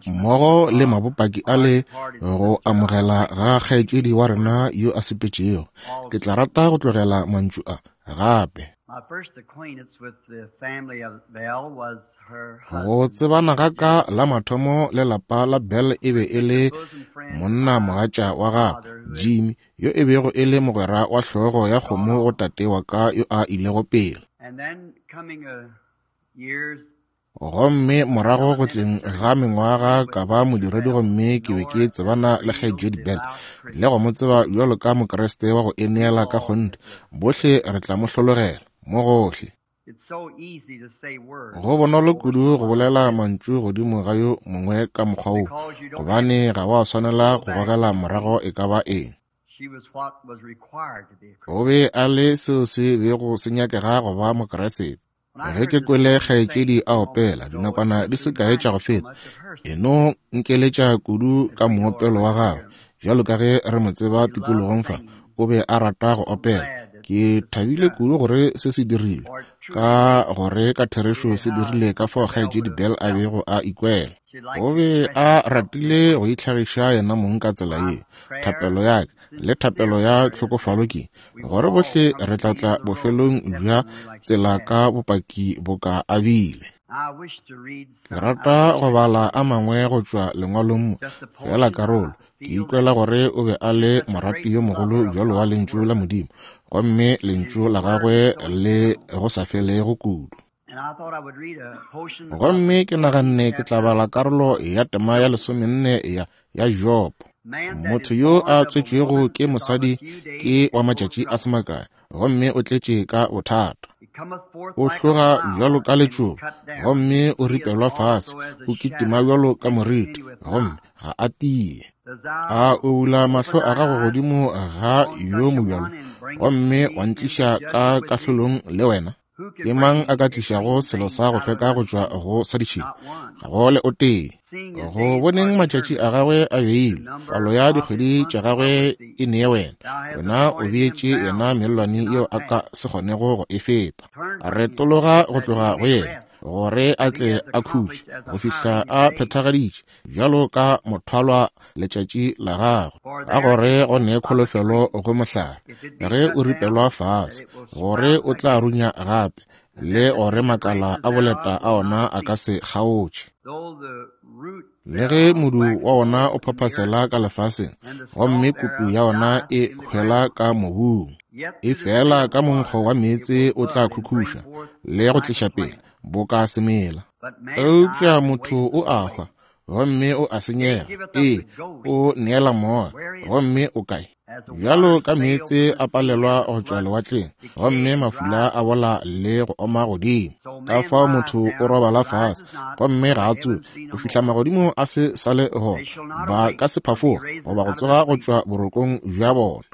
Mmogo le mabopaki a le go amogela ga kgaetšedi wa rena yo a sepetšego, ke tla rata go tlogela mantšu a gape. Go tsebana ga ka la mathomo le lapa la Bell e be e le monna mogatša wa gagwe, Jimmy, yo e bego e le mogwera wa hlogo ya kgomo go tate wa ka yo a ilego pele. Gomme morago go tleng ga mengwaga ka ba modiredi gomme ke be ke tsebana le Kgaetšedi Bell le go mo tseba bjalo ka Mokriste wa go ineela ka kgonthe. Bohle re tla mo hlologela, mo gohle. Go bonolo kudu go bolela mantšu godimo ga yo mongwe ka mokgwa wo, gobane ga wa swanela go gogela morago e ka ba eng. O be a le seo se bego se nyakega go ba Mokriste. Ge ke kwele kgaetšedi a opela dinakwana di se kae tša go feta, e no nkeletša kudu ka moopelo wa gagwe. Bjalo ka ge re mo tseba tikologong fa, o be a rata go opela. Ke thabile kudu gore se se dirilwe, ka gore ka therešo se dirile ka fao kgaetšedi Bell a bego a ikwela. O be a ratile go itlhagiša yena mong ka tsela ye. Thapelo ya ka le thapelo ya tlhokofalo ke gore bohle re tla tla bofelong bja tsela ka bopaki boka a bile. Ke rata go bala a mangwe go tšwa lengwalong mo, feela karolo. Ke ikwela gore o be a le morati yo mogolo bjalo wa Lentšu la Modimo, gomme Lentšu la gagwe le go sa felego kudu. Gomme ke naganne ke tla bala karolo ya tema ya lesomenne ya, ya Jobo. Motho yo a tswetšwego ke mosadi ke wa matšatši a se makae, gomme o tletše ka bothata. O hloga bjalo ka letšoba, gomme o ripelwa fase, o kitima bjalo ka moriti, gomme ga a tie. A o bula mahlo a gago godimo ga yo mobjalo, gomme wa ntliša ka kahlolong le wena? Ke mang a ka tlišago selo sa go hlweka go tšwa go sa ditšhila? Ga go le o tee. Go boneng matšatši a gagwe a beilwe, palo ya dikgwedi tša gagwe e nee wena. Wena o beetše yena mellwane yeo a ka se kgonego go e feta. Retologa go tloga go yena, gore a tle a khutše go fihla a phethagaditše bjalo ka mothwalwa letšatši la gagwe, ka gore go ne kholofelo go mohlare ge o ripelwa fase, gore o tla runya gape, le gore makala a boleta a ona a ka se kgaotše. Le ge modu wa ona o phaphasela ka lefaseng, gomme kutu ya ona e hwela ka mobung, e fela ka monkgo wa meetse o tla khukhuša le go tliša pele boka semela. Eupša motho o a hwa gomme o a senyega, ee, o neela moya, gomme o kae? Bjalo ka meetse a palelwa go tšwa lewatleng, gomme mafula a bola le go oma godimo, ka fao motho o robala fase gomme ga a tsoge go fihla magodimo a se sa le gona. Ba ka se phafoga goba go tsoga go tšwa borokong bja bona.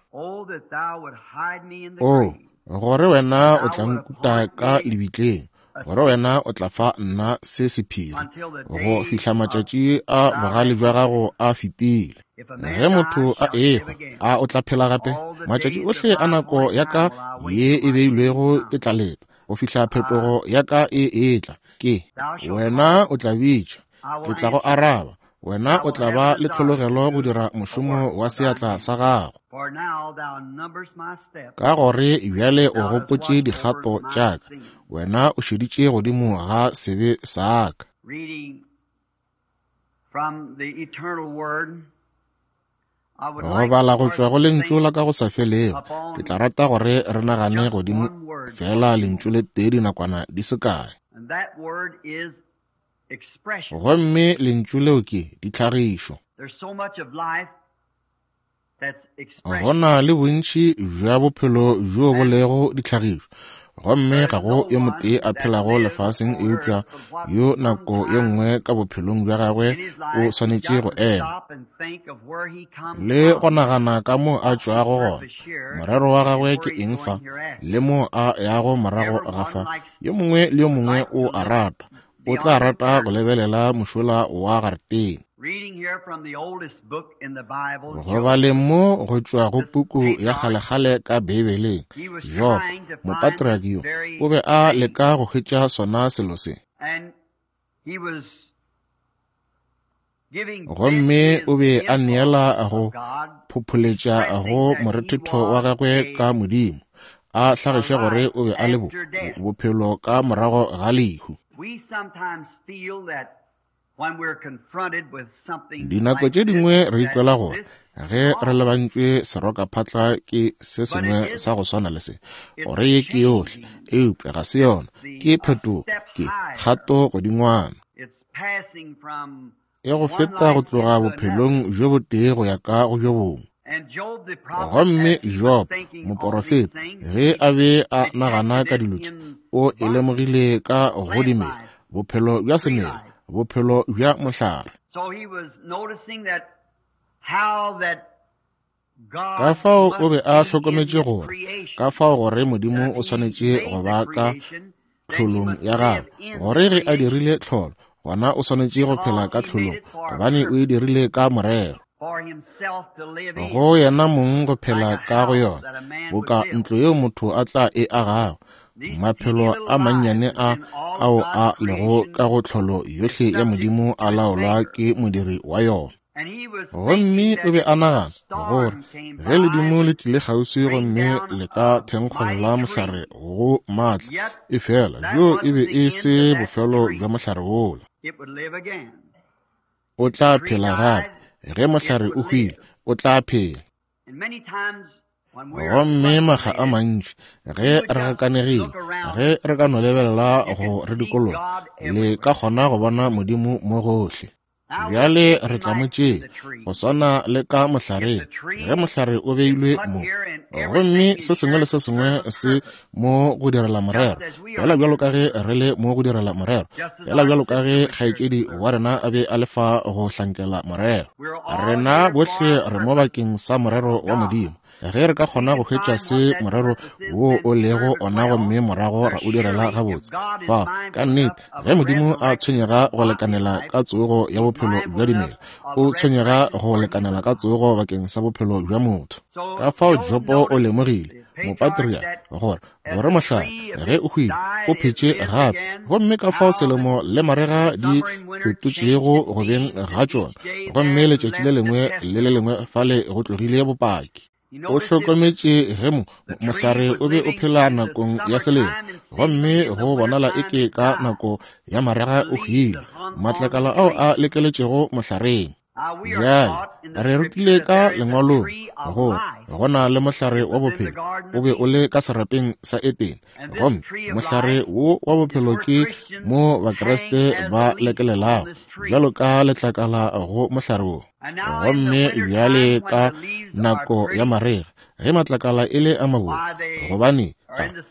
O, gore wena o tla nkuta ka lebitleng, gore wena o tla fa nna se sephiri go fihla matšatši a bogale bja gago a fetile. Ge motho a ehwa, a o tla phela gape? Matšatši ohle a nako ya ka ye e beilwego ke tla leta go fihla phetogo ya ka e etla. Ke wena o tla bitša, ke tla go araba, wena o tla ba le tlhologelo go dira mošomo wa seatla sa gago. Ka gore bjale o gopotše dikgato tša ka, wena o šeditše godimo ga sebe sa ka. Go bala go tšwa go Lentšu la ka go sa felego, ke tla rata gore re nagane godimo feela Lentšu le tee dinakwana di se kae. Gomme lentšu leo ke ditlhagišo. Go na le bontši bja bophelo bjo bo lego ditlhagišo, gomme ga go yo motee a phelago lefaseng eupša yo nako ye nngwe ka bophelong bja gagwe o swanetše go ema le go nagana ka mo a tšwago gona, morero wa gagwe ke eng fa, le mo a yago morago ga fa. Yo mongwe le yo mongwe o a rata, o tla rata go lebelela mošola wa garetene. Go baleng mo go tšwa go puku ya kgalekgale ka Beibeleng, Job, mopatriarch yo, o be a leka go hwetša sona selo se. Gomme o be a neela go phopholetša go morethetho wa gagwe ka Modimo, a hlagiša gore o be a le bo, bophelo ka morago ga lehu. Dinako tše dingwe re ikwela gore ge re lebantšwe serokaphatla ke se sengwe sa go swana le se, gore ye ke yohle, eupša ga se yona, ke phetogo, ke kgato godingwana. E go feta go tloga bophelong bjo botee go ya ka go bjo bongwe. Gomme Job, moporofeta, ge a be a nagana ka dilo tše, o e lemogile ka go dimela, bophelo bja semela, bophelo bja mohlare. Ka fao o be a hlokometše gore, ka fao gore Modimo o swanetše go ba ka tlholong ya gagwe, gore ge a dirile tlholo, gona o swanetše go phela ka tlholong, gobane o e dirile ka morero. Go yena mong go phela ka go yona, boka ntlo yeo motho a tla e agago. Maphelo a mannyane a ao a lego ka go tlholo yohle ya Modimo a laolwa ke modiri wa yona. Gomme o be a nagana gore ge ledimo le tlile kgauswi gomme le ka thenkgolla mohlare go maatla, efela bjo e be e se bofelo bja mohlare wola. O tla phela gape. Ge mohlare o hwile, o tla phela. Gomme makga a mantši ge re gakanegile, ge re ka no lebelela go re dikologa, le ka kgona go bona Modimo mo gohle. Bjale re tla mo tšea go swana le ka mohlareng, ge mohlare o beilwe mo, gomme se sengwe le se sengwe se mo go direla morero, fela bjalo ka ge re le mo go direla morero, fela bjalo ka ge kgaetšedi wa rena a be a le fa go hlankela morero. Rena bohle re mo bakeng sa morero wa Modimo. Ge re ka kgona go hwetša se morero wo o lego ona gomme morago ra o direla gabotse, fa ka nnete, ge Modimo a tshwenyega go lekanela ka tsogo ya bophelo bja dimela, o tshwenyega go lekanela ka tsogo bakeng sa bophelo bja motho. Ka fao Jopo o lemogile, mopatriarch, gore gore mohlare ge o hwile o phetše gape, gomme ka fao selemo le marega di fetotšego go beng ga tšona, gomme letšatši le lengwe le le lengwe fale go tlogile bopaki. O hlokometše ge mo mohlare o be o phela nakong ya selemo, gomme go bonala eke ka nako ya marega o hwile, matlakala ao a lekeletšego mohlareng. Bjale, re rutile ka Lengwalong gore go na le mohlare wa bophelo, o be o le ka serapeng sa Edene, gomme mohlare wo wa bophelo ke mo Bakriste ba lekelelago bjalo ka letlakala go mohlare wo. Gomme bjale ka nako ya marega, ge matlakala e le a mabotse, gobane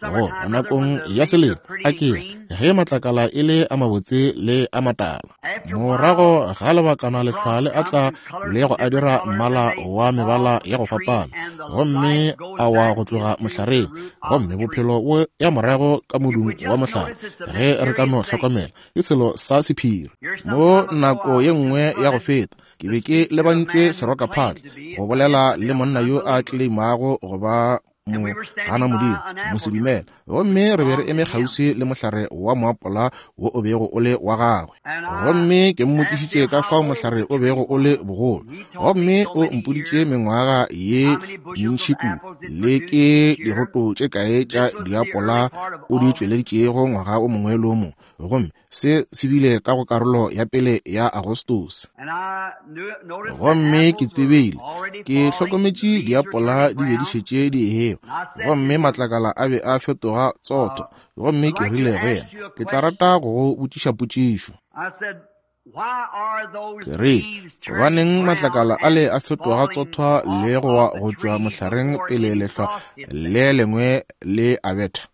go nakong ya selemo a ke ge matlakala e le a mabotse le a matala. Morago ga lebakana lehlwa le a tla le go a dira mmala wa mebala ya go fapana, gomme a wa go tloga mohlareng, gomme bophelo bo ya morago ka modung wa mohlare. Ge re ka no hlokomela, ke selo sa sephiri. Mo nako ye nngwe ya go feta ke be ke lebantšwe serokaphatla go bolela le monna yo a tleleimago go ba mo gana Modimo, mosedumele, gomme re be re eme kgauswi le mohlare wa moapola wo o bego o le wa gagwe. Gomme ke mmotšišitše ka fao mohlare o bego o le bogolo, gomme o mpoditše mengwaga ye mentši kudu, le ke diroto tše kae tša diapola o di tšweleditšego ngwaga o mongwe le o mongwe. Gomme se se bile ka go karolo ya pele ya Agostose. Gomme ke tsebile, ke hlokometše diapola di be di šetše di ewa, gomme matlakala a be a fetoga tsotho. Gomme ke rile go yena, ke tla rata go go botšiša potšišo. Ke rile, gobaneng matlakala ale a fetoga tsothwa le go wa go tšwa mohlareng pele lehlwa le lengwe le a betha?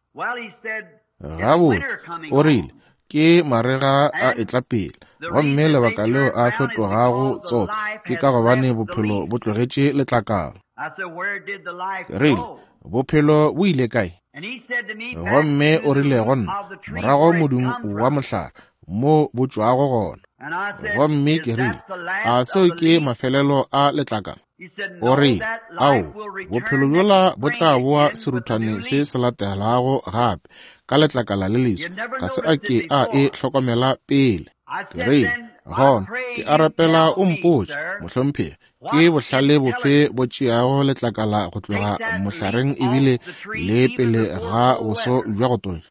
Gabotse, o rile, ke marega a etla pele, gomme lebaka leo a fetogago tsotho ke ka gobane bophelo bo tlogetše letlakala. Ke rile, bophelo bo ile kae? Gomme o rile go nna, morago modung wa mohlare, mo bo tšwago gona. Gomme ke rile, A seo ke mafelelo a letlakala? O rile, Ao, bophelo bjola bo tla boa seruthwane se se latelago gape, ka letlakala le leswa. Ga se a ke a e hlokomela pele. Ke rile, Gona, ke a rapela o mpotše, mohlomphegi, ke bohlale bofe bo tšeago letlakala go tloga mohlareng ebile le pele ga boso bja go tonya,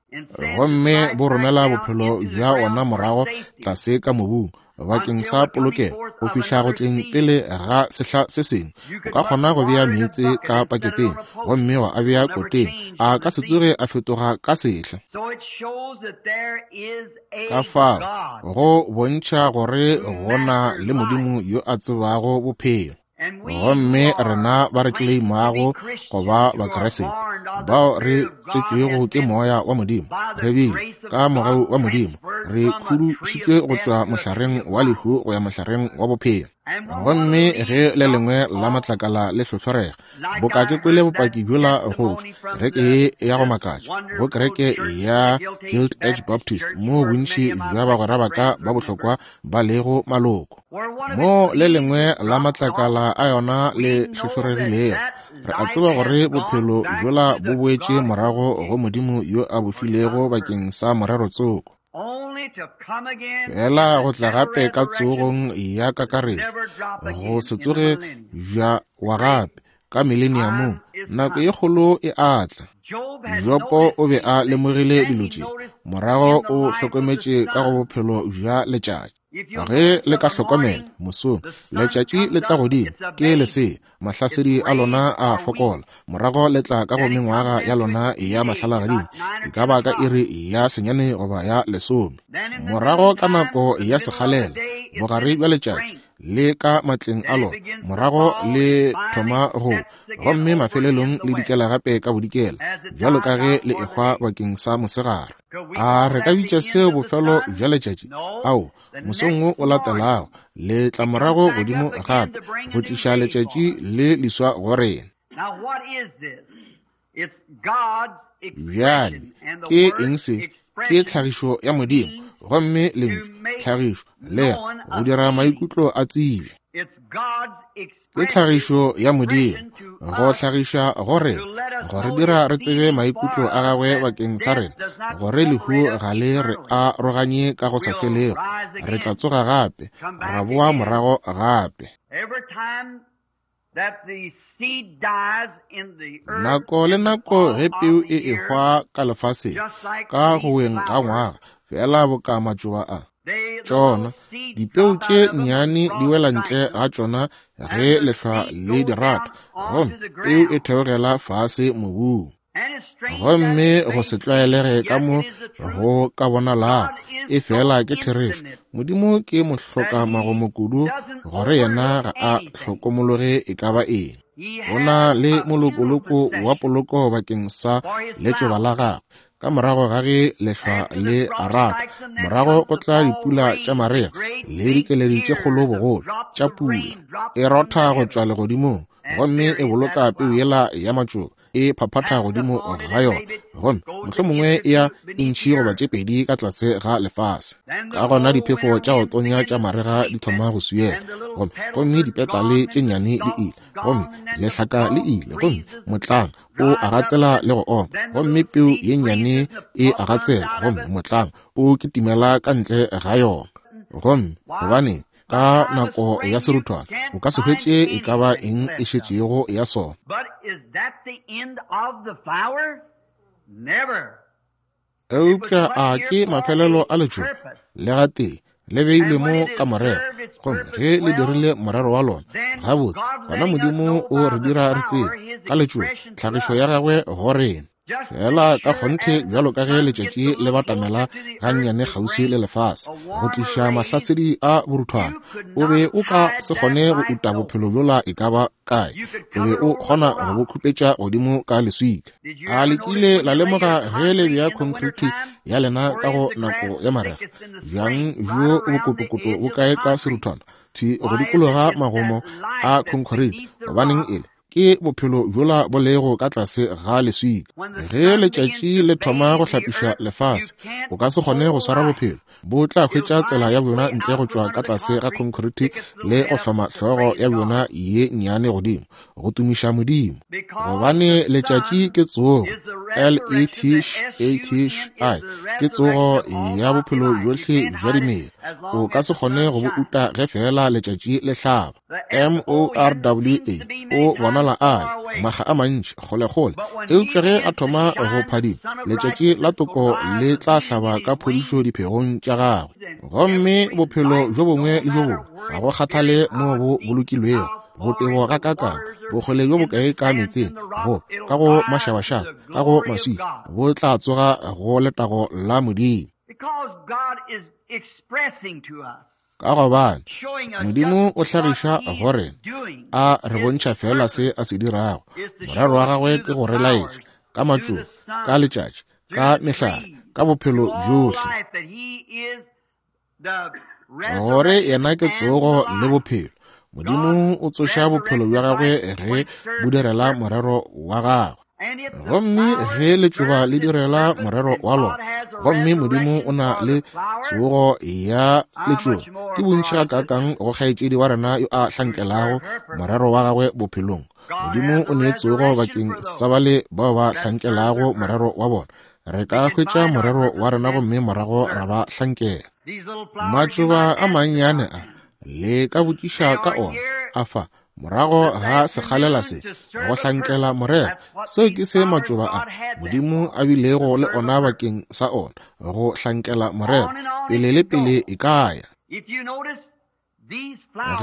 gomme bo romela bophelo bja ona morago tlase ka mobung bakeng sa polokego go fihla go tleng pele ga sehla se sengwe? O ka kgona go bea meetse ka paketeng gomme wa a bea koteng, a ka se tsoge a fetoga ka sehla. Ka fao go bontšha gore go na le Modimo yo a tsebago bophelo. Gomme rena ba re tleleimago go ba Bakriste, bao re tswetšwego ke Moya wa Modimo, re bile, ka mogau wa Modimo, re khudušitšwe go tšwa mohlareng wa lehu go ya mohlareng wa bophelo. Gomme ge le lengwe la matlakala le hlohlorega, boka ke kwele bopaki bjola go tšwa kereke ye ya go makatša, go kereke ya Guild Edge Baptist, moo bontši bja bagwera ba ka ba bohlokwa ba lego maloko, moo le lengwe la matlakala a yona le hlohloregilego, re a tseba gore bophelo bjola bo boetše morago go Modimo yo a bo filego bakeng sa morero tsoko. Fela go tla gape ka tsogong ya kakaretšo, go se tsoge bja wa gape ka mileniamong, nako ye kgolo e a tla. Jopo o be a lemogile dilo tše, morago o hlokometše ka go bophelo bja letšatši. Ge le ka hlokomela, mosong letšatši le tla godimo, ke lesea, mahlasedi a lona a fokola, morago le tla ka go mengwaga ya lona ya mahlalagading, e ka ba ka iri ya senyane goba ya lesome. Morago ka nako ya sekgalela, bogare bja letšatši le ka matleng a lona, morago le thoma go, gomme mafelelong le dikela gape ka bodikela, bjalo ka ge le ehwa bakeng sa mosegare. A re ka bitša seo bofelo bja letšatši? Ao, mosong wo o latelago le tla morago godimo gape go tliša letšatši le leswa go rena. Bjale ke eng se? Ke tlhagišo ya Modimo, gomme lentšu tlhagišo le go dira maikutlo a tsebje. Ke tlhagišo ya Modimo, go hlagiša go rena, go re dira re tsebe maikutlo a gagwe bakeng sa rena, gore lehu ga le re aroganye ka go sa felego. Re tla tsoga gape, ra boa morago gape. Nako le nako ge peu e ehwa ka lefaseng, ka go weng ga ngwaga, feela boka matšoba a, tšona dipeu tše nnyane di wela ntle ga tšona ge lehlwa le di rata, gomme peu e theogela fase mobung. Gomme go se tlwaelege ka mo go ka bonalago, e fela ke therešo, Modimo ke mohloka magomo kudu gore yena ga a hlokomologe e ka ba eng. O na le molokoloko wa poloko bakeng sa letšoba la gagwe. Ka morago ga ge lehlwa le rata, morago go tla dipula tša marega le dikeledi tše kgolo bogolo tša pula. E rotha go tšwa legodimong gomme e boloka peu yela ya matšoba e phaphatha godimo ga yona, gomme mohlomongwe e ya intšhi goba tše pedi ka tlase ga lefase. Ka gona diphefo tša go tonya tša marega di thoma go swiela, gomme gomme dipetale tše nnyane di ile, gomme lehlaka le ile, gomme motlang o a gatsela le go oma, gomme peu ye nnyane e a gatsela, gomme motlang o kitimela ka ntle ga yona. Gomme gobane ka nako ya seruthwana o ka se hwetše e ka ba eng e šetšego ya sona. Eupša a ke mafelelo a letšoba? Le gatee le beilwe mo ka morero, gomme ge le dirile morero wa lona gabotse, gona Modimo o re dira re tsebe ka letšoba tlhagišo ya gagwe go rena. Fela ka kgonthe bjalo ka ge letšatši le batamela gannyane kgauswi le lefase go tliša mahlasedi a boruthwana, o be o ka se kgone go uta bophelo bjola e ka ba kae, o be o kgona go bo khupetša godimo ka leswika. A le kile la lemoga ge le bea khonkriti ya lena ka go nako ya marega, bjang bjo bokotokoto bo kae ka seruthwana thwi go dikologa magomo a khonkriti? Gobaneng e le? Ke bophelo bjola bo lego ka tlase ga leswika. Ge letšatši le thoma go hlapiša lefase, o ka se kgone go swara bophelo. Bo tla hwetša tsela ya bjona ntle go tšwa ka tlase ga khonkhoriti le go hloma hlogo ya bjona ye nnyane godimo, go tumiša Modimo. Gobane letšatši ke tsogo, L-E-T-H-A-T-H-I, ke tsogo ya bophelo bjohle bja dimela. O ka se kgone go bo uta ge feela letšatši le hlaba. M-O-R-W-A, o bonala a le makga a mantši kgolekgole, eupša ge a thoma go phadima, letšatši la toko le tla hlaba ka phodišo diphegong tša gagwe. Gomme bophelo bjo bongwe le bjo bongwe, ga go kgathale moo bo bolokilwego, botebo gakaakang, bokgole bjo bokae ka meetseng, go ka go mašabašaba, ka go maswika, bo tla tsoga go letago la Modimo. Ka gobane Modimo o hlagiša go rena, a re bontšha feela se a se dirago. Morero wa gagwe ke go re laetša ka matšoba, ka letšatši, ka mehlare, ka bophelo bjohle, gore yena ke tsogo le bophelo. Modimo o tsoša bophelo bja gagwe ge bo direla morero wa gagwe. Gomme ge letšoba le direla morero wa lona, gomme Modimo o na le tsogo ya letšoba, ke bontši gakaakang go kgaetšedi wa rena yo a hlankelago morero wa gagwe bophelong. Modimo o ne tsogo bakeng sa bale bao ba hlankelago morero wa bona. Re ka hwetša morero wa rena gomme morago ra ba hlankela. Matšoba a mannyane a, le ka botšiša ka ona, a fa Morago ga sekgalela se, go hlankela morero, seo ke se matšoba a Modimo a bilego le ona bakeng sa ona, go hlankela morero, pele le pele e ka ya.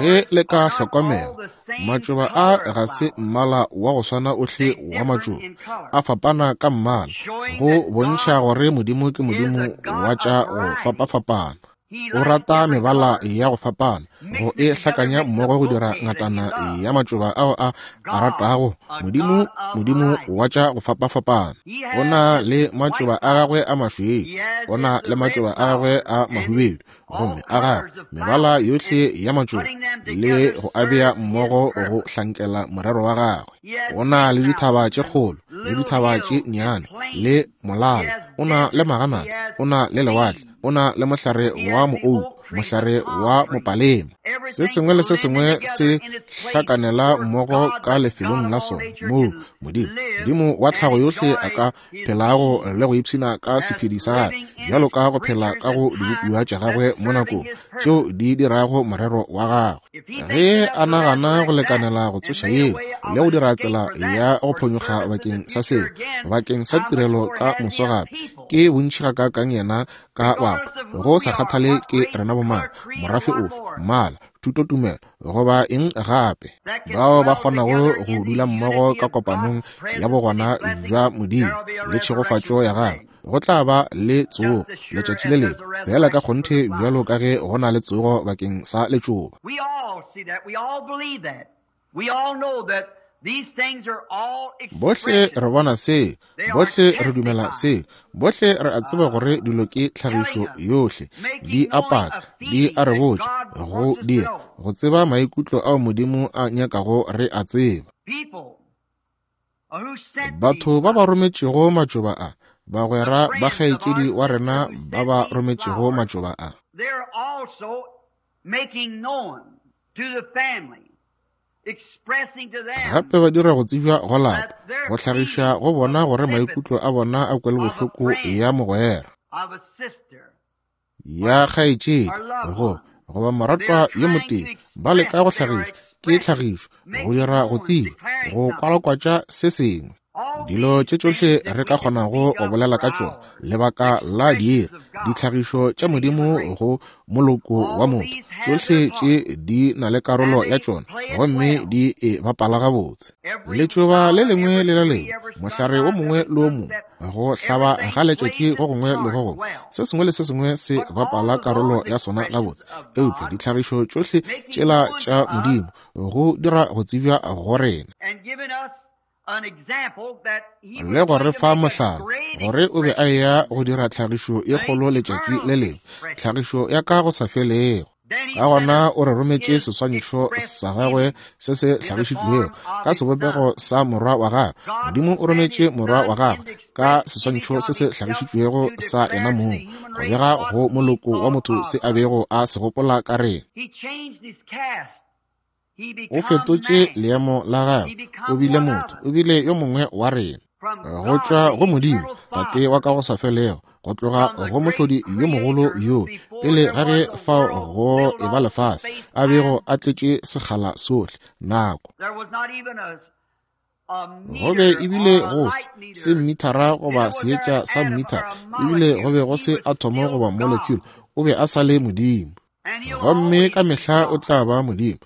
Ge le ka hlokomela, matšoba a ga se mmala wa go swana ohle wa matšoba, a fapana ka mmala, go bontšha gore Modimo ke Modimo wa tša go fapafapana. O rata mebala ya go fapana, go e hlakanya mmogo go dira ngatana ya matšoba ao a a ratago. Modimo, Modimo wa tša go fapafapana. O na le matšoba a gagwe a mašweu, o na le matšoba a gagwe a mahubedu, gomme a gagwe mebala yohle ya matšoba, le go a bea mmogo go hlankela morero wa gagwe. O na le dithaba tše kgolo le dithaba tše nnyane, le molala, o na le maganata, o na le lewatle, o na le mohlare wa moouku, mohlare wa mopalema. Se sengwe le se sengwe se hlakanela mmogo ka lefelong la sona, moo Modimo, Modimo wa tlhago yohle a ka phelago le go ipshina ka sephedi sa gagwe, bjalo ka go phela ka go dibopiwa tša gagwe mo nakong tšeo di dirago morero wa gagwe. Ge a nagana go lekanela go tsoša yeo le go dira tsela ya go phonyokga bakeng sa seo, bakeng sa tirelo ka moso gape, ke bontši gakaakang yena ka batho, go sa kgathale ke rena bomang, morafe ofe, mmala, thutotumelo, goba eng gape, bao ba kgonago go dula mmogo ka kopanong ya bogona bja Modimo le tšhegofatšo ya gagwe, go tla ba le tsogo letšatši le lengwe, feela ka kgonthe bjalo ka ge go na le tsogo bakeng sa letšoba. Bohle re bona se, bohle re dumela se, bohle re a tseba gore dilo ke tlhagišo yohle, di a paka, di a re botša, go dira, go tseba maikutlo ao Modimo a nyakago re a tseba. Batho ba ba rometšego matšoba a, bagwera ba kgaetšedi wa rena ba ba rometšego matšoba a. Gape ba dira go tsebja go lapa, go hlagiša go bona gore maikutlo a bona a kwelobohloko ya mogwera, ya kgaetšedi, go goba moratwa yo motee. Ba leka go hlagiša, ke tlhagišo, go dira go tsebja, go kwalakwatša se sengwe. Dilo tše tšohle re ka kgonago go bolela ka tšona, lebaka la diiri, ditlhagišo tša Modimo go moloko wa motho, tšohle tše di na le karolo ya tšona gomme di e bapala gabotse. Letšoba le lengwe le le lengwe, mohlare wo mongwe le wo mongwe, go hlaba ga letšatši go gongwe le go gongwe, se sengwe le se sengwe se bapala karolo ya sona gabotse. Eupša ditlhagišo tšohle tšela tša Modimo go dira go tsebja go rena. Le go re fa mohlala gore o be a eya go dira tlhagišo ye kgolo letšatši le lengwe, tlhagišo ya ka go sa felego. Ka gona o re rometše seswantšho sa gagwe se se hlagišitšwego ka sebopego sa morwa wa gagwe. Modimo o rometše morwa wa gagwe ka seswantšho se se hlagišitšwego sa yena mong, go bega go moloko wa motho se a bego a se gopola ka rena. O fetotše leemo la gagwe, o bile motho, o bile yo mongwe wa rena. Go tšwa go Modimo, Tate wa ka go sa felego, go tloga go Mohlodi yo mogolo yo, pele ga ge fao go eba lefase, a bego a tletše sekgala sohle, nako. Go be ebile go se, se mmithara goba seetša sa mmithara, ebile go be go se athomo goba molecule, o be a sa le Modimo. Gomme ka mehla o tla ba Modimo.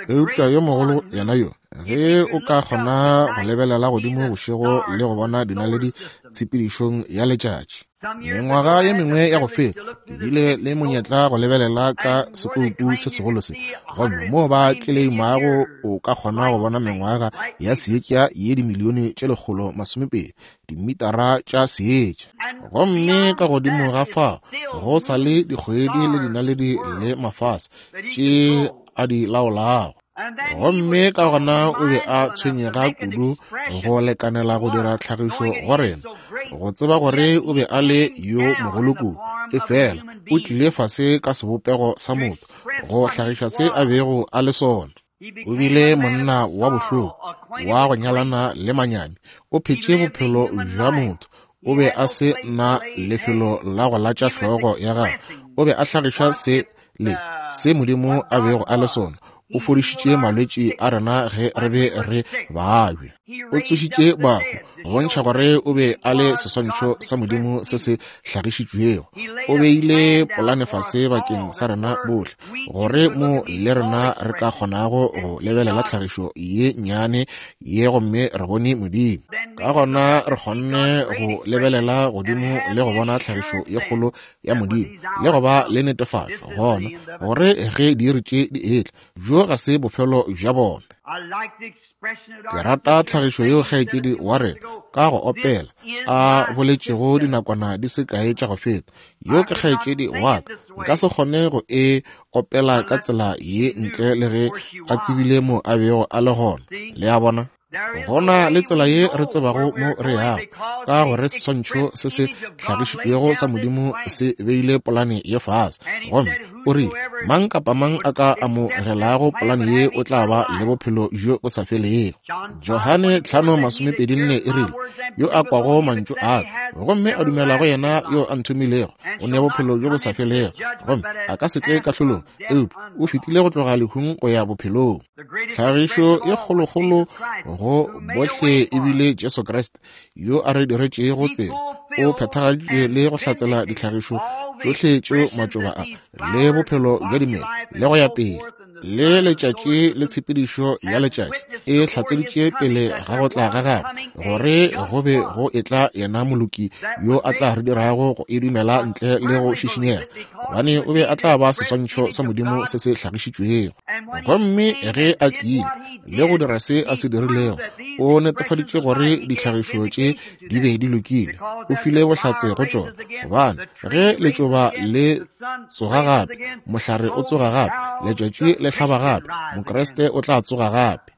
Eupša yo mogolo yena yo, ge o ka kgona go lebelela godimo bošego le go bona dinaledi tshepedišong ya letšatši. Mengwaga ye mengwe ya go feta, ke bile le monyetla go lebelela ka sekoupu se segolo se, gomme moo ba tleleimago o ka kgona go bona mengwaga ya seetša ye dimilione tše 120, dimitara tša seetša. Gomme ka godimo ga fao go sa le dikgwedi le dinaledi le mafase tše a di laolago. Gomme ka gona o be a tshwenyega kudu go lekanela go dira tlhagišo go rena, go tseba gore o be a le yo mogolo kudu, efela o tlile fase ka sebopego sa motho go hlagiša se a bego a le sona. O bile monna wa bohloko, wa go nyalana le manyami, o phetše bophelo bja motho, o be a se na lefelo la go latša hlogo ya gagwe, o be a hlagiša se le se Modimo a bego a le sona. O fodišitše malwetši a rena ge re be re babja. O tsošitše bahu go bontšha gore o be a le seswantšho sa Modimo se se hlagišitšwego. O beile polane fase bakeng sa rena bohle, gore mo le rena re ka kgonago go lebelela tlhagišo ye nnyane ye gomme re bone Modimo. Ka gona re kgonne go lebelela godimo le go bona tlhagišo ye kgolo ya Modimo le go ba le netefatšo gona gore ge diiri tše di etla, bjo ga se bofelo bja bona. Ke rata tlhagišo yeo kgaetšedi wa rena ka go opela a boletšego dinakwana di se kae tša go feta. Yo ke kgaetšedi wa ka, nka se kgone go e opela ka tsela ye ntle le ge a tsebile mo a bego a le gona. Le a bona? Go na le tsela ye re tsebago mo re yago, ka gore seswantšho se se hlagišitšwego sa Modimo se beile polane ye fase. Gomme o rile, mang kapa mang a ka amogelago polane ye o tla ba le bophelo bjo bo sa felego. Johane 5:24 e rile, yo a kwago mantšu a ka gomme a dumela go yena yo a nthomilego o ne bophelo bjo bo sa felego, gomme a ka se tle kahlolong, eupša o fetile go tloga lehung go ya bophelong. Tlhagišo e kgolokgolo go bohle e bile Jesu Kriste, yo a re diretšego tsela. O phethagaditše le go hlatsela ditlhagišo tšohle tšeo matšoba a le bophelo bja dimela le go ya pele le letšatši le tshepedišo ya letšatši e hlatseditše pele ga go tla ga gagwe, gore go be go etla yena moloki yo a tla re dirago go e dumela ntle le go šišinyega, gobane o be a tla ba seswantšho sa Modimo se se hlagišitšwego. Gomme ge a tlile le go dira se a se dirilego, o netefaditše gore ditlhagišo tše di be di lokile. O file bohlatse go tšona, gobane ge letšoba le tsoga gape, mohlare o tsoga gape, letšatši le hlaba gape, Mokriste o tla tsoga gape.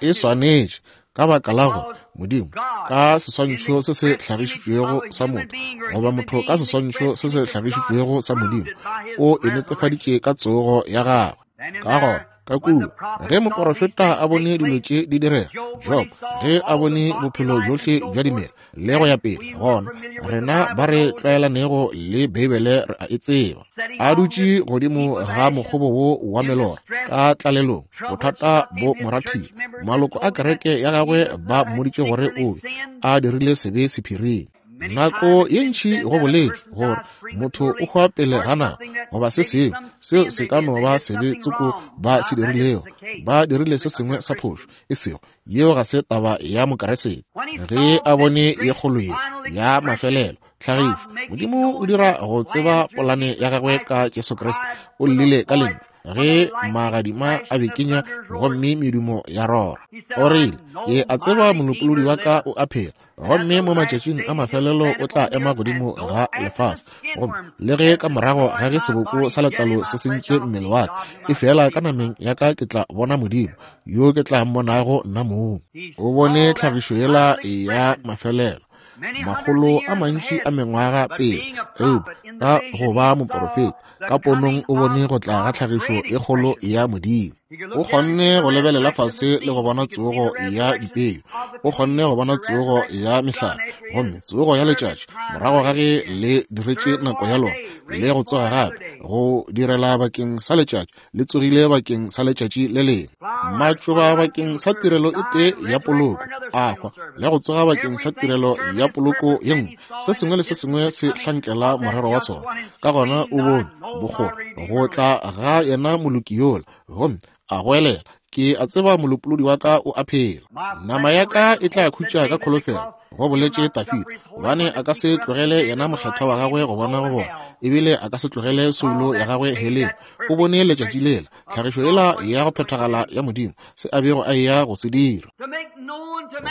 E swanetše, ka baka la gore Modimo ka seswantšho se se hlagišitšwego sa motho, goba motho ka seswantšho se se hlagišitšwego sa Modimo, o e netefaditše ka tsogo ya gagwe. Ka gona, ka kua, ge moporofeta a bone dilo tše di direga, Job, ge a bone bophelo bjohle bja dimela le go ya pele, gona rena ba re tlwaelanego le Beibele re a e tseba. A dutše godimo ga mokgobo wo wa melora ka tlalelong, bothata bo mo rathile. Maloko a kereke ya gagwe ba mmoditše gore o be a dirile sebe sephiring. Nako ye ntši go boletšwe gore motho o hwa pele ga nako goba se sengwe, seo se ka no ba sebe tsoko ba se dirilego, ba dirile se sengwe sa phošo, e sego yeo ga se taba ya Mokeresete. Ge a bone ye kgolo ye ya mafelelo tlhagišo, Modimo o dira go tseba polane ya gagwe ka Jesu Kriste, o llile ka lentšu. Ge magadima a bekenya gomme medumo ya rora, o rile, Ke a tseba Molopolodi wa ka o a phela, gomme mo matšatšing a mafelelo o tla ema godimo ga lefase. Gomme le ge ka morago ga ge seboko sa letlalo se sentše mmele wa ka, efela ka nameng ya ka ke tla bona Modimo, yo ke tla mmonago nna mong. O bone tlhagišo yela ya mafelelo makgolo a mantši a mengwaga pele, eupša ka go ba moporofeta ka ponong o bone go tla ga tlhagišo e kgolo ya Modimo. O kgonne go lebelela fase le go bona tsogo ya dipeu, o kgonne go bona tsogo ya mehlare, gomme tsogo ya letšatši morago ga ge le diretše nako ya lona le go tsoga gape go direla bakeng sa letšatši, le tsogile bakeng sa letšatši le lengwe. Matšoba bakeng sa tirelo e tee ya poloko a hwa le go tsoga bakeng sa tirelo ya poloko ye nngwe. Se sengwe le se sengwe se hlankela morero wa sona. Ka gona o bone bokgole go tla ga yena moloki yola, gomme a goelela, Ke a tseba Molopolodi wa ka o a phela. Nama ya ka e tla khutša ka kholofelo, go boletše Dafida, gobane a ka se tlogele yena mokgethwa wa gagwe go bona go bona, ebile a ka se tlogele soulo ya gagwe heleng. O bone letšatši lela, tlhagišo yela ya go phethagala ya Modimo, se a bego a eya go se dira.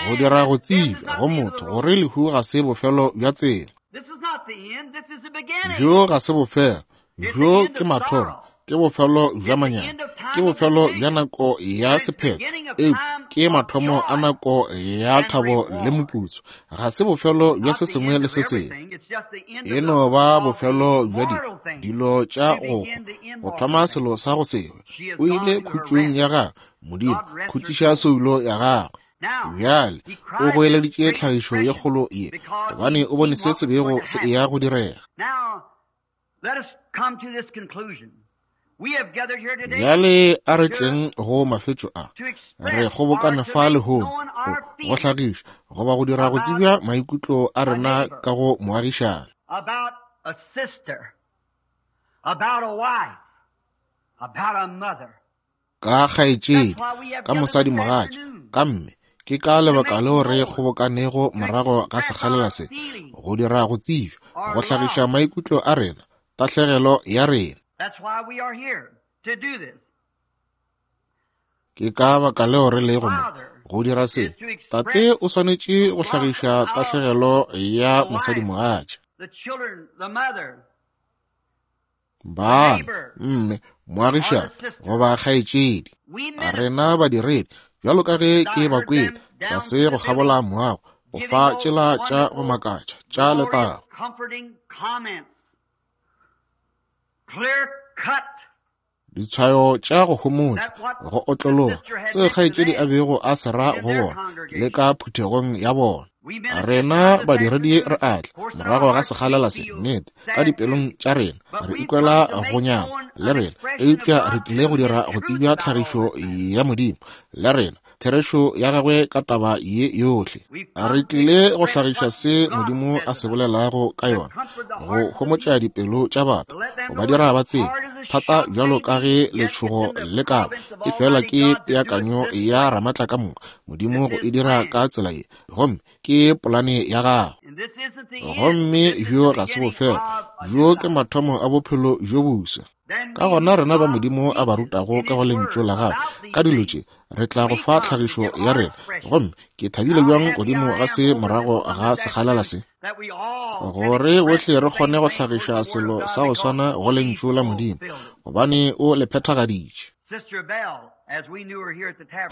Go dira go tsebja go motho gore lehu ga se bofelo bja tsela. Bjo ga se bofelo, bjo ke mathomo, ke bofelo bja manyami, ke bofelo bja nako ya sephetho, eupša ke mathomo a nako ya thabo le moputso. Ga se bofelo bja se sengwe le se sengwe, e no ba bofelo bja di dilo tša go hwa, go thoma selo sa go se hwe. O ile khutšong ya gagwe, Modimo, khutšiša soulo ya gagwe. Bjale o goeleditše tlhagišo ye kgolo ye, gobane o bone se se bego se eya go direga. Bjale a re tleng go mafetšo a. Re kgobokane fa lehono go, go hlagiša goba go dira go tsebja maikutlo a rena ka go moagišani. About a sister, about a wife, about a mother. Ka kgaetšedi, ka mosadimogatša, ka mme. Ke ka lebaka leo re kgobokanego morago ga sekgalela se, go dira go tsebja, go hlagiša maikutlo a rena, tahlegelo ya rena. Ke ka baka leo re lego mo, go dira se. Tate o swanetše go hlagiša tahlegelo ya mosadimogatša. Bana, mme, moagišani goba kgaetšedi. Rena badiredi, bjalo ka ge ke ba kwele, tlase go kgabola moago, go fa tšela tša go makatša tša letago. Ditshwayo tša go homotša, go otlologa, seo kgaetšedi a bego a se ra go bona le ka phuthegong ya bona. Rena badiredi re a tla morago ga sekgalela se, nnete, ka dipelong tša rena re ikwela go nyama le rena, eupša re tlile go dira go tsebja tlhagišo ya Modimo le rena, therešo ya gagwe ka taba ye yohle. Re tlile go hlagiša se Modimo a se bolelago ka yona, go homotša dipelo tša batho, go ba dira ba tsebe, thata bjalo ka ge letšhogo le ka ba, efela ke peakanyo ya Ramatlakamoka Modimo go e dira ka tsela ye, gomme ke polane ya gagwe. Gomme bjo ga se bofelo, bjo ke mathomo a bophelo bjo boswa. Ka gona rena ba Modimo a ba rutago ka go Lentšu la Gagwe ka dilo tše, re tla go fa tlhagišo ya rena. Gomme ke thabile bjang godimo ga se morago ga sekgalela se, gore bohle re kgone go hlagiša selo sa go swana go Lentšu la Modimo, gobane O le phethagaditše.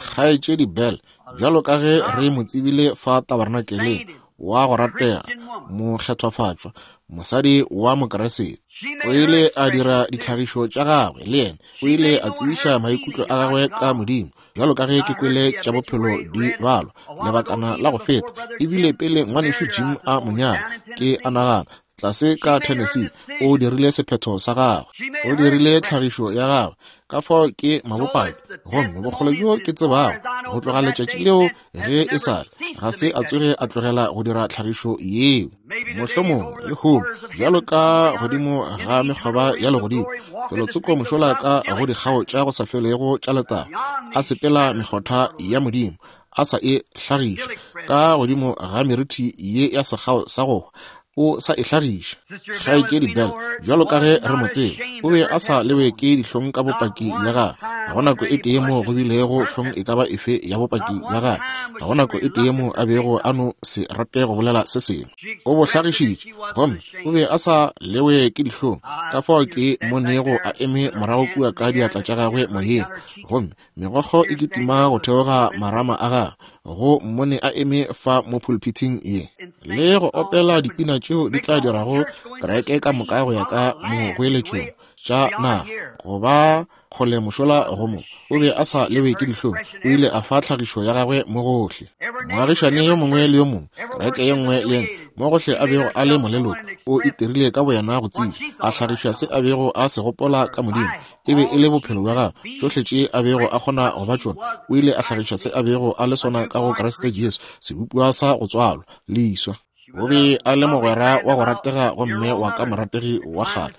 Kgaetšedi Bell, bjalo ka ge re mo tsebile fa tabernakeleng, wa go ratega, mokgethwafatšwa, mosadi wa Mokeresete. O ile a dira ditlhagišo tša gagwe le yena. O ile a tsebiša maikutlo a gagwe ka Modimo, bjalo ka ge ke kwele tša bophelo di balwa lebakana la go feta, ebile pele ngwanešu Jim a mo nyala, ke a nagana, tlase ka Tennessee, o dirile sephetho sa gagwe. O dirile tlhagišo ya gagwe. Ka fao ke mabopaki, gomme bokgole bjo ke tsebago, go tloga letšatši leo ge e sa le, ga se a tsoge a tlogela go dira tlhagišo yeo. Mohlomongwe lehono, bjalo ka godimo ga mekgoba ya legodimo, felotsoko mošola ka go dikgao tša go sa felego tša letago, a sepela mekgotha ya Modimo, a sa e hlagiša, ka godimo ga merithi ye ya sekgao sa go hwa, O sa e hlagiša. Kgaetšedi Bell, bjalo ka ge re mo tseba, o be a sa lewe ke dihlong ka bopaki bja gagwe. Ga go nako e tee moo go bilego hlong e ka ba efe ya bopaki bja gagwe. Ga go nako e tee moo a bego a no se rate go bolela se sengwe. O bo hlagišitše, gomme o be a sa lewe ke dihlong. Ka fao ke mo nego a eme morago kua ka diatla tša gagwe moyeng, gomme megokgo e kitima go theoga marama a gagwe go mmone a eme fa mo pulpithing ye le go opela dipina tšeo di tla dirago kereke ka moka go ya ka mogoeletšong tša naga go ba kgole mošola go mo o be a sa lewe ke dihlong o ile a fa tlhagišo ya gagwe mo gohle moagišane yo mongwe le yo mongwe kereke ye nngwe le ye mo gohle a bego a le moleloko o itirile ka boyena go tseba a hlagiša se a bego a se gopola ka modimo e be e le bophelo bja gagwe tšohle tše a bego a kgona go ba tšona o ile a hlagiša se a bego a le sona ka go Kriste Jesu sebopiwa sa go tswalwa leswa o be a le mogwera wa go ratega gomme wa ka morategi wa kgale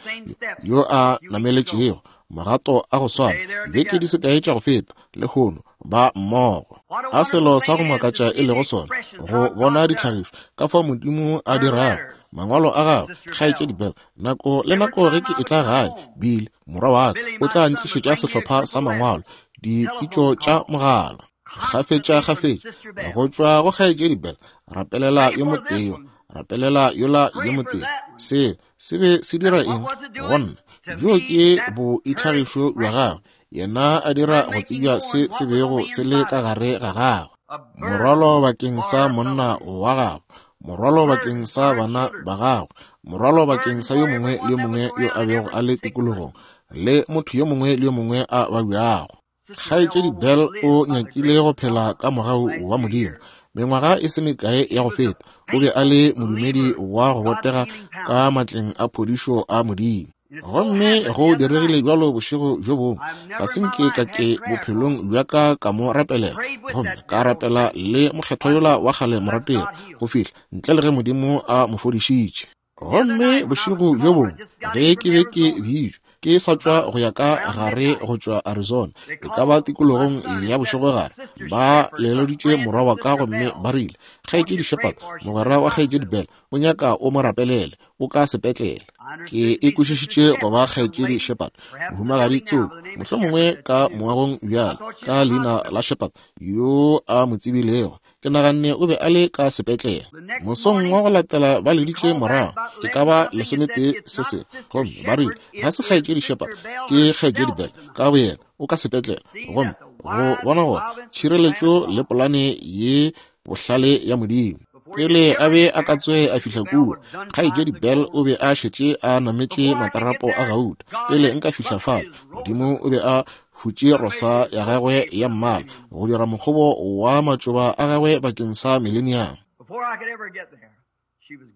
yo a nameletšego magato a go swana dibeke di se kae tša go feta lehono ba mmogo a selo sa go makatša e lego sona go bona ditlhagišo ka fao modimo a dirago mangwalo a gagwe kgaetšedi Bell nako le nako ge ke etla gae Bill morwa wa ka o tla ntlišetša sehlopha sa mangwalo dipitšo tša mogala kgafetša kgafetša go tšwa go kgaetšedi Bell rapelela yo motee rapelela yola yo motee seo se be se dira eng go nna bjo ke boitlhagišo bja gagwe yena a dira go tsebja se se bego se le ka gare ga gagwe morwalo bakeng sa monna wa gagwe morwalo bakeng sa bana ba gagwe morwalo bakeng sa yo mongwe le yo mongwe yo a bego a le tikologong le motho yo mongwe le yo mongwe a babjago kgaetšedi Bell o nyakile go phela ka mogau wa Modimo mengwaga e se mekae ya go feta o be a le modumedi wa go botega ka matleng a phodišo a Modimo gomme go diregile bjalo bošego bjo bongwe ga se nke ka ke bophelong bja ka ka mo rapelela gomme ka rapela le mokgethwa yola wa kgale morategi go fihla ntle le ge Modimo a mo fodišitše Gomme bošego bjo bongwe ge ke be ke bitšwa, ke sa tšwa go ya ka gare go tšwa Arizona, e ka ba tikologong ya bošegogare, ba leleditše morwa wa ka gomme ba rile, Kgaetšedi Shepherd, mogwera wa Kgaetšedi Bell, o nyaka o mo rapelele, o ka sepetlele. Ke e kwešišitše go ba Kgaetšedi Shepherd, mohumagadi tsoko, mohlomongwe ka moagong bjale, ka leina la Shepherd, yo a mo tsebilego. Ke naganne o be a le ka sepetlele. Mosong wa go latela ba leditše morago, e ka ba lesometee se sengwe, gomme ba rile, Ga se Kgaetšedi Shepherd, ke Kgaetšedi Bell ka boyena, o ka sepetlele. Gomme go bona gore tšhireletšo le polane ye bohlale ya Modimo. Pele a be a ka tsoge a fihla kua, Kgaetšedi Bell o be a šetše a nametše matarapo a gauta. Pele nka fihla fale, Modimo o be a hutše rosa ya gagwe ya mmala go dira mokgobo wa matšoba a gagwe bakeng sa mileniamo.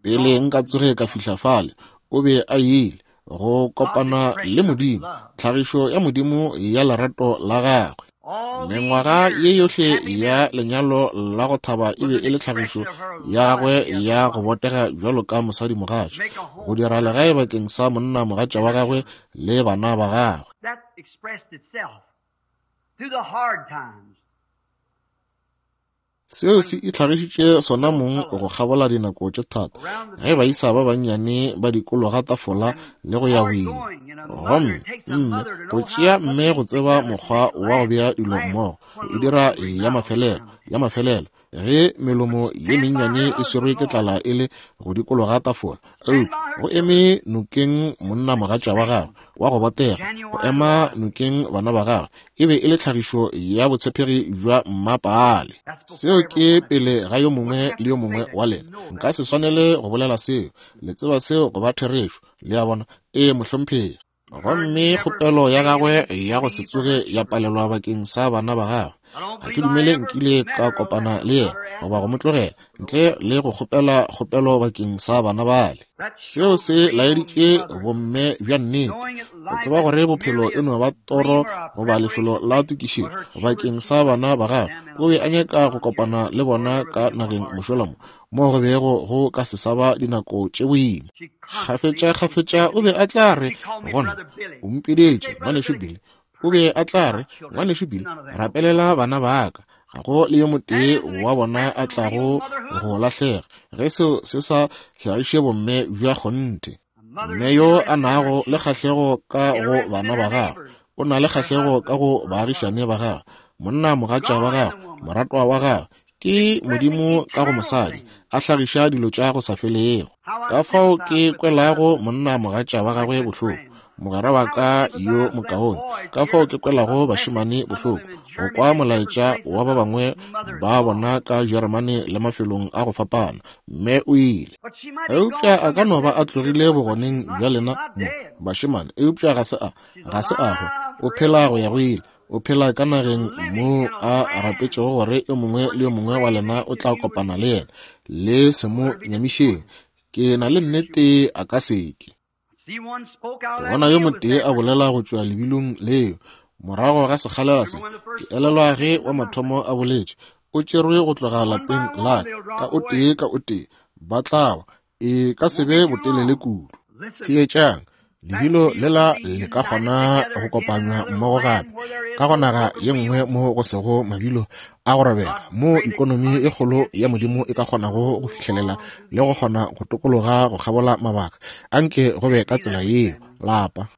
Pele nka tsoge ka fihla fale, o be a ile go kopana le Modimo, tlhagišo ya Modimo ya lerato la gagwe. Mengwaga ye yohle ya lenyalo la go thaba e be e le tlhagišo ya gagwe ya go botega bjalo ka mosadimogatša, go dira legae bakeng sa monnamogatša wa gagwe le bana ba gagwe. Expressed itself through the hard times. Seo se itlhagišitše sona mong go kgabola dinako tše thata, ge baisa ba bannyane ba dikologa tafola le go ya boima. Gomme mme, go tšea mme go tseba mokgwa wa go bea dilo mmogo, go e dira ya mafelelo, ya mafelelo, ge melomo ye mennyane e swerwe ke tlala e le go dikologa tafola eupša go eme nokeng monna mogatša wa gagwe wa go botega go ema nokeng bana ba gagwe e be e le tlhagišo ya botshepegi bja mmapaale seo ke pele ga yo mongwe le yo mongwe wa lena nka se swanele go bolela seo le tseba seo go ba therešo le a bona ee mohlomphegi Gomme kgopelo ya gagwe ya go se tsoge ya palelwa bakeng sa bana ba gagwe. Ga ke dumele nkile ka kopana le yena goba go mo tlogela ntle le go kgopela kgopelo bakeng sa bana bale. Seo se laeditše bomme bja nnete, go tseba gore bophelo e no ba toro goba lefelo la tokišetšo bakeng sa bana ba gagwe. O be a nyaka go kopana le bona ka nageng mošola mo, mo go bego go ka se sa ba dinako tše boima. Kgafetša-kgafetša o be a tla re gona, o mpidetše, ngwanešu Billy. O be a tla re, ngwanešu Billy, rapelela bana ba ka. Ga go le yo motee wa bona a tlago go lahlega ge seo se sa hlagiše bomme bja kgonthe. Mme yo a nago le kgahlego ka go bana ba gagwe, o na le kgahlego ka go baagišane ba gagwe, monna mogatša wa gagwe, moratwa wa gagwe, ke Modimo ka go mosadi, a hlagiša dilo tša go sa felego. Ka fao ke kwelago monna mogatša wa gagwe bohloko, mogwera wa ka yo mokaone, ka fao ke kwelago bašemane bohloko, go kwa molaetša wa ba bangwe ba bona ka Jeremane le mafelong a go fapana, mme o ile. Eupša a ka no ba a tlogile bogoneng bja lena mo, bašemane, eupša ga se a, ga se a hwa, o phela go ya go ile. O phela ka nageng moo a rapetšego gore yo mongwe le yo mongwe wa lena o tla kopana le yena. Le se mo nyamišeng. Ke na le nnete a ka se ke. Bona yo motee a bolela go tšwa lebilong leo. Morago ga sekgalela se, ke elelwa ge wa mathomo a boletše, o tšerwe go tloga lapeng la ka o tee ka o tee, ba tla wa. E ka se be botelele kudu. Theetšang, lebilo lela le ka kgona go kopanywa mmogo gape ka go naga ye nngwe mo go sego mabilo a go robega, mo ikonomi e kgolo ya Modimo e ka kgonago go fihlelela le go kgona go tokologa go kgabola mabaka. Anke go be ka tsela yeo, lapa.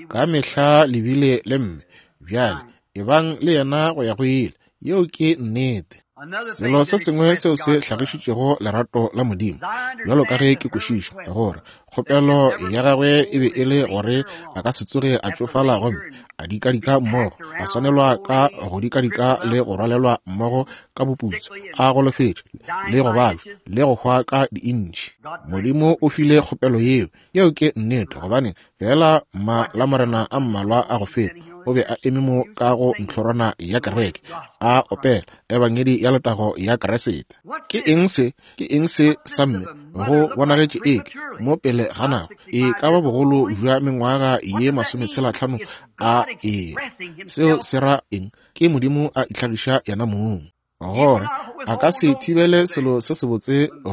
Ka mehla le bile le mme, bjale ebang le yena go ya go ile. Yeo ke nnete. Selo se sengwe seo se hlagišitšego lerato la Modimo, bjalo ka ge ke kwešiša, gore kgopelo ya gagwe e be e le gore a ka se tsoge a tšofala gomme a dikadika mmogo, a swanelwa ka go dikadika le go rwalelwa mmogo ka boputso, a golofetše le go babja le go hwa ka diintšhi. Modimo o file kgopelo yeo. Yeo ke nnete, gobane feela ma la morena a mmalwa a go feta o be a eme mo ka go ntlhorwana ya kereke a opela ebangedi ya letago ya Keresete. Ke eng se? Ke eng se sa mme? Go bonagetše eke mo pele ga nako e ka ba bogolo bja mengwaga ye 65 a e. Seo se ra eng? Ke Modimo a itlhagiša yena mong. Gore a ka se thibele selo se sebotse go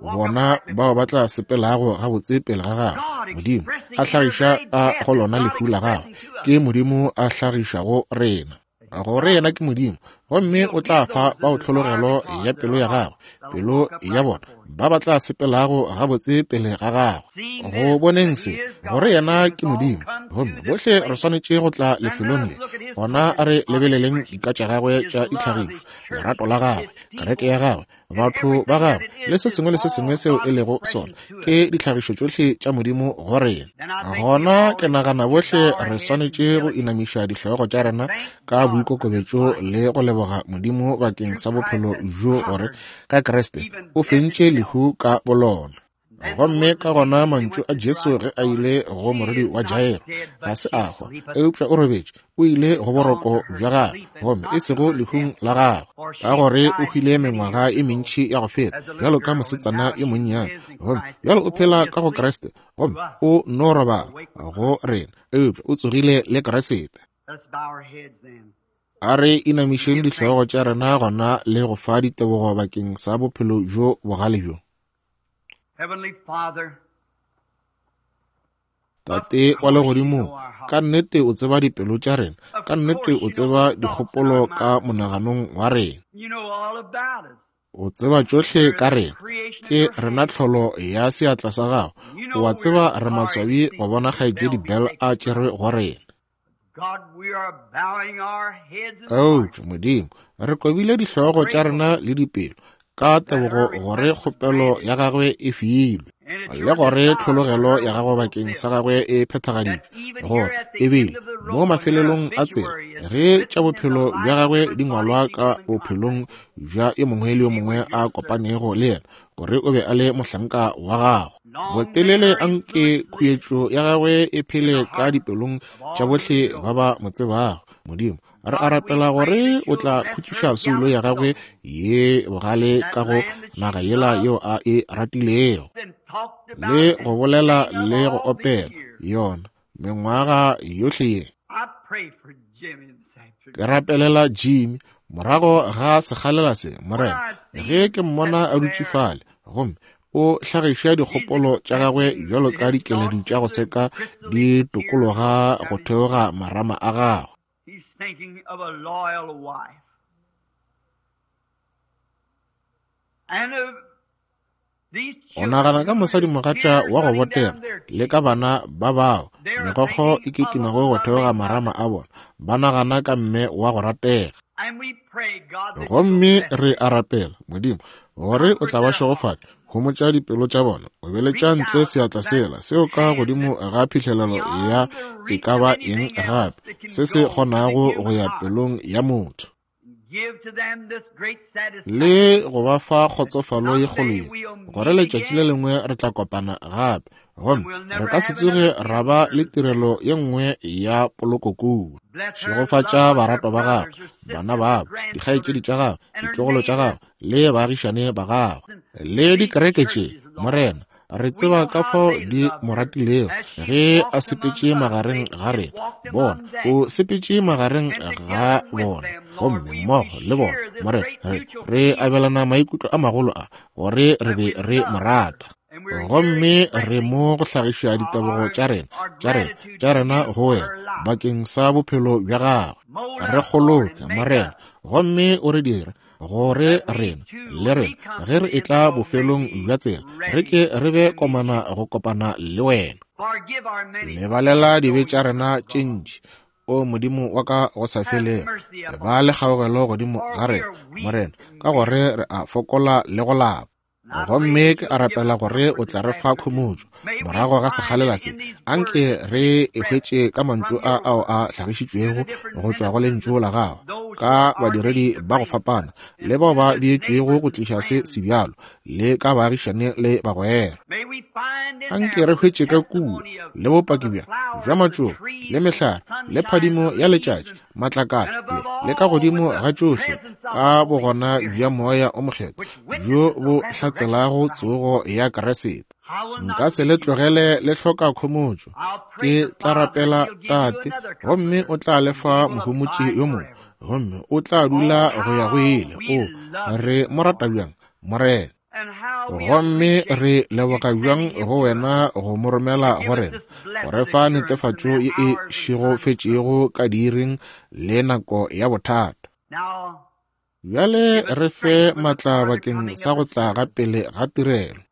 bona bao ba tla sepelago gabotse pele ga gagwe. Modimo a hlagiša ka go lona lehu la gagwe. Ke Modimo a hlagišago rena, gore yena ke Modimo, gomme o tla fa bao tlhologelo ya pelo ya gagwe, pelo ya bona, ba ba tla sepelago gabotse pele ga gagwe. Go boneng se, gore yena ke Modimo, gomme bohle re swanetše go tla lefelong le, gona a re lebeleleng dika tša gagwe tša ditlhagišo, lerato la gagwe, kereke ya gagwe, batho ba gagwe, le se sengwe le se sengwe seo e lego sona, ke ditlhagišo tšohle tša Modimo go rena. Gona ke nagana bohle re swanetše go inamiša dihlogo tša rena ka boikokobetšo le go leboga Modimo bakeng sa bophelo bjo gore ka Kriste o fentše lehu ka bolona. Gomme ka gona mantšu a Jesu ge a ile go morwedi wa Jairo, ga se a hwa, eupša o robetše, o ile go boroko bja gagwe, gomme e sego lehung la gagwe, ka gore o hwile mengwaga e mentši ya go feta, bjalo ka mosetsana yo monnyane, gomme bjalo o phela ka go Kriste, gomme o no robala go rena, eupša o tsogile le Kriste. A re inamišeng dihlogo tša rena gona le go fa ditebogo bakeng sa bophelo bjo bogale bjo. Tate wa legodimong, ka nnete o tseba dipelo tša rena, ka nnete o tseba dikgopolo ka monaganong wa rena. O tseba tšohle ka rena. Ke rena tlholo ya seatla sa gago. O a tseba re maswabi go bona Kgaetšedi Bell a tšerwe go rena. Eupša, Modimo, re kobile dihlogo tša rena le dipelo ka tebogo gore kgopelo ya gagwe e filwe le gore tlhologelo ya gagwe bakeng sa gagwe e phethagaditšwe, gore ebile mo mafelelong a tsela ge tša bophelo bja gagwe di ngwalwa ka bophelong bja yo mongwe le yo mongwe a kopanego le yena, gore o be a le mohlanka wa gago. Botelele anke khuetšo ya gagwe e phele ka dipelong tša bohle ba ba mo tsebago. Modimo, re a rapela gore o tla khutšiša soulo ya gagwe ye bogale ka go naga yela yeo a e ratilego, le go bolela le go opela yona mengwaga yohle ye. Ke rapelela Jimmy morago ga sekgalela se, Morena, ge ke mmona a dutše fale, gomme o hlagiša dikgopolo tša gagwe bjalo ka dikeledi tša go seka di tokologa go theoga marama a gagwe. O nagana ka mosadimogatša wa go botega le ka bana ba bao megokgo e kitimago go theoga marama a bona, ba nagana ka mme wa go ratega. Gomme re a rapela, Modimo, gore o tla ba šegofatša, homotša dipelo tša bona, o beletša ntle seatla sela seo ka godimo ga phihlelelo ya e ka ba eng gape se se kgonago go ya pelong ya motho. Le go ba fa kgotsofalo ye kgolo ye, gore letšatši le lengwe re tla kopana gape, gomme re ka se tsoge ra ba le tirelo ye nngwe ya poloko kua. Šegofatša baratwa ba gagwe, bana babo, dikgaetšedi tša gagwe, ditlogolo tša gagwe, le baagišane ba gagwe, le dikereke tše, Morena. Re tseba ka fao di mo ratilego ge a sepetše magareng ga rena. Bona, o sepetše magareng ga bona, gomme mmogo le bona, Morena, re, re abelana maikutlo a magolo a, gore re be re mo rata. Gomme re mo go hlagiša ditebogo tša rena, tša rena, tša rena go wena, bakeng sa bophelo bja gagwe. Re kgoloke, Morena, gomme o re dire gore rena le rena ge re etla bofelong bja tsela re ke re be komana go kopana le wena. Lebalela dibe tša rena tše ntši, o Modimo wa ka go sa felego. Ba le kgaogelo godimo ga rena, Morena, ka gore re a fokola le go lapa. Gomme ke a rapela gore o tla re fa khomotšo morago ga sekgalela se. Anke re e hwetše ka mantšu a ao a hlagišitšwego go tšwa go Lentšu la Gago, ka badiredi ba go fapana le bao ba beetšwego go tliša se sebjalo, le ka baagišane le bagwera. Anke re hwetše ka kua le bopaki bja, bja matšoba le mehlare le phadimo ya letšatši, matlakala le, le ka godimo ga tšohle ka bogona bja Moya o Mokgethwa bjo bo hlatselago tsogo ya Kriste. Nka se le tlogele le hloka khomotšo. Ke tla rapela Tate, gomme o tla le fa Mohomotši yo mongwe, gomme o tla dula go ya go ile. O re mo rata bjang, Morena! Gomme re leboga bjang go wena go mo romela go rena, go re fa netefatšo ye e šegofetšego ka diiring le nako ya bothata. Bjale re fe matla bakeng sa go tla ga pele ga tirelo.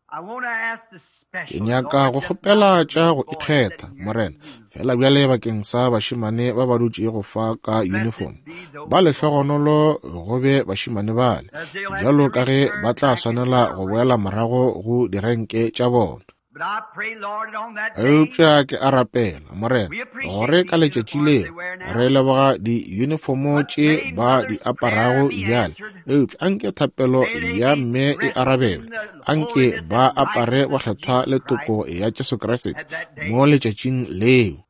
Ke nyaka go kgopela tša go ikgetha, Morena, fela bjale bakeng sa bašemane ba ba dutšego fa ka uniform. Ba lehlogonolo go be bašemane bale, bjalo ka ge ba tla swanela go boela morago go direnke tša bona. Eupša ke a rapela, Morena, gore ka letšatši leo re leboga diyunifomo tše ba di aparago bjale, eupša anke thapelo ya mme e arabelwe, anke ba apare bokgethwa le toko ya Jesu Kriste mo letšatšing leo.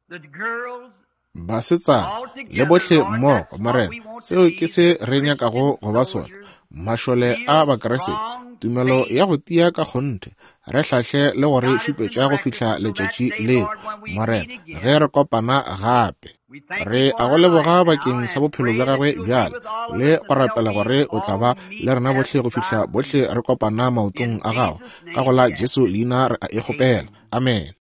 Basetsana le bohle mmogo, Morena, seo ke se re nyakago go ba sona, mašole a Bakriste, tumelo ya go tia ka kgonthe, re hlahle le go re šupetša go fihla letšatši leo, Morena, ge re kopana gape. Re a go leboga bakeng sa bophelo bja gagwe bjale, le go rapela gore o tla ba le rena bohle go fihla bohle re kopana maotong a gago. Ka go la Jesu leina re a e kgopela. Amen.